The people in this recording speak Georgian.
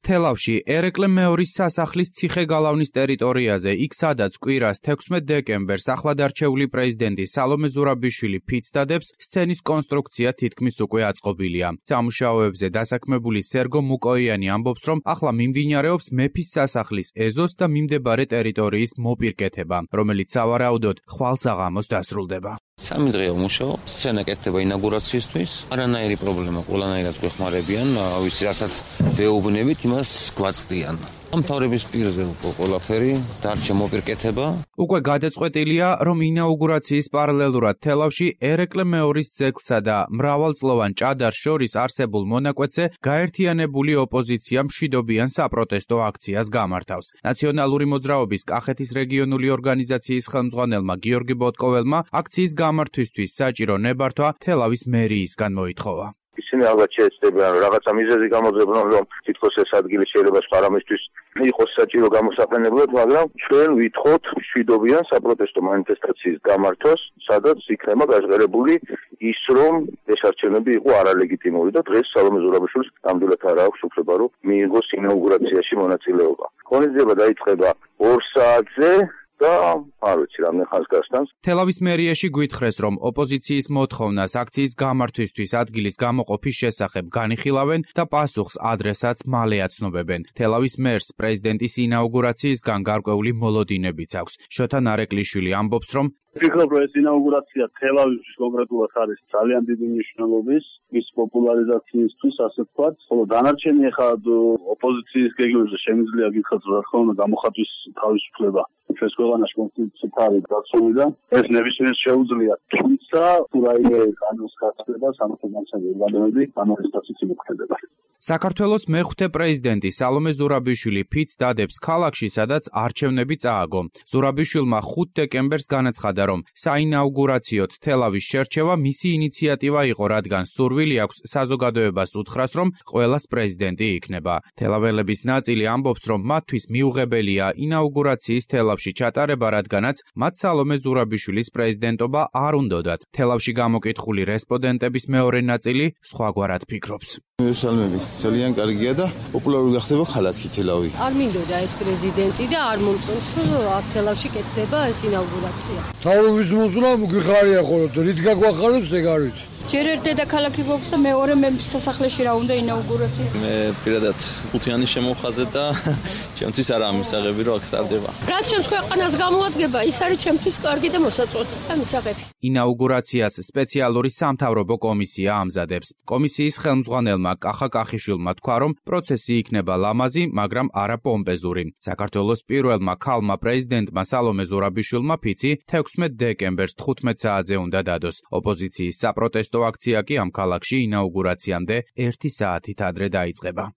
თელავში ერეკლე მეორის სასახლის ციხე-გალავნის ტერიტორიაზე, იქ სადაც კვირას 16 დეკემბერს ახლად არჩეული პრეზიდენტი სალომე ზურაბიშვილი ფიცს დადებს, სცენის კონსტრუქცია თითქმის უკვე აწყობილია. სამუშაოებზე დასაქმებული სერგო მუკოიანი ამბობს, რომ ახლა მიმდინარეობს მეფის სასახლის ეზოს და მიმდებარე ტერიტორიის მოპირკეთება, რომელიც სავარაუდოდ ხვალსაღამოს დასრულდება. Სამი დღეა ვმუშაობ, სცენა კეთდება ინაugurაციისთვის. არანაირი პრობლემა, ყველანაირად გვეხმარებიან, ვიცი, რასაც ვეუბნებით, იმას გვაწდიან. ამთავრების პირზე ყველაფერი დარჩა მოპირკეთება. უკვე გადაწყვეტილია, რომ ინაugurაციის პარალელურად თელავში ერეკლე მეორის ძეგლსა და მრავალწლოვან ჭადარს შორის არსებულ მონაკვეთზე გაერთიანებული ოპოზიცია მშვიდობიან საპროტესტო აქციას გამართავს. ნაციონალური მოძრაობის კახეთის რეგიონული ორგანიზაციის ხელმძღვანელმა გიორგი ბოტკოველმა აქციის გამართვისთვის საჭირო ნებართვა თელავის მერიისგან მოითხოვა. ისინი ალბათ შეეცდებიან რაღაცა მიზეზი გამოძებნონ, რომ თითქოს ეს ადგილი შეიძლება სპარამისთვის იყოს საჭირო გამოსაყენებლად, მაგრამ ჩვენ ვითხოვთ მშვიდობიან საპროტესტო მანიფესტაციის გამართვას, სადაც იქნება გაჟღერებული ის, რომ ეს არჩევნები იყო არალეგიტიმური და დღეს სალომე ზურაბიშვილს ნამდვილად არ აქვს უფლება, რომ მიიღოს ინაugurაციაში მონაწილეობა. ღონისძიება დაიწყება 2 საათზე. და არ ვიცი რამდენ ხანს გასტანს. თელავის მერიაში გვითხრეს, რომ ოპოზიციის მოთხოვნას აქციის გამართვისთვის ადგილის გამოყოფის შესახებ განიხილავენ და პასუხს ადრესაც მალე აცნობებენ. თელავის მერს პრეზიდენტის ინაugurაციისგან გარკვეული მოლოდინებიც აქვს. შოთა ნარეკვლიშვილი ამბობს, რომ ვფიქრობ, რომ ეს ინაugurაცია თელავის კონკრეტულად არის ძალიან დიდი მნიშვნელობის მის პოპულარიზაციისთვის, ასე ვთქვათ, ხოლო დანარჩენი ახლა ოპოზიციის გეგმებზე შემიძლია გითხრათ, რა თქმა უნდა, გამოხატვის თავისუფლება. ჩვენს ქვეყანაში კონსტიტუციით არის დაცული და ეს ნებისმიერს შეუძლია, თუმცა თუ რაიმე კანონის გასწრება სამართალდამცავი ორგანოები ამასთანაც იმოქმედება. საქართველოს მეხუთე პრეზიდენტი სალომე ზურაბიშვილი ფიცს დადებს ქალაქში, სადაც არჩევნები წააგო. ზურაბიშვილმა 5 დეკემბერს განაცხადა, რომ საინაugurაციოდ თელავის შერჩევა მისი ინიციატივა იყო, რადგან სურვილი აქვს საზოგადოებას უთხრას, რომ ყველას პრეზიდენტი იქნება. თელაველების ნაწილი ამბობს, რომ მათთვის მიუღებელია ინაugurაციის თელავში ჩატარება, რადგანაც მათ სალომე ზურაბიშვილის პრეზიდენტობა არ უნდოდათ. თელავში გამოკითხული რესპონდენტების მეორე ნაწილი სხვაგვარად ფიქრობს. მესალმები, ძალიან კარგია და პოპულარული გახდება ქალაქი თელავი. არ მინდოდა ეს პრეზიდენტი და არ მომწონს, რომ თელავში კეთდება ეს ინაugurაცია. თავის მოსვლა მგიხარია ხოლმე, რით გაგვახარებს ეგ არ ვიცი. ჯერ ერთ დედაქალაქი გვაქვს და მეორე მეფის სასახლეში რა უნდა ინაugurაცია. მე პირადად ხუთიანი შემოვხაზე და ჩემთვის არა მისაღები რომ აქ ტარდება. რაც ჩემს ქვეყანას გამოადგება, ის არის ჩემთვის კარგი და მოსაწყვეტი და მისაღები. ინაugurაციას სპეციალური სამთავრობო კომისია ამზადებს. კომისიის ხელმძღვანელმა კახა კახიშვილმა თქვა, რომ პროცესი იქნება ლამაზი, მაგრამ არა პომპეზური. საქართველოს პირველმა ქალმა პრეზიდენტმა სალომე ზურაბიშვილმა ფიცი 16 დეკემბერს 15 საათზე უნდა დადოს. ოპოზიციის საპროტესტო აქცია კი ამ ქალაქში ინაugurაციამდე 1 საათით ადრე დაიწყება.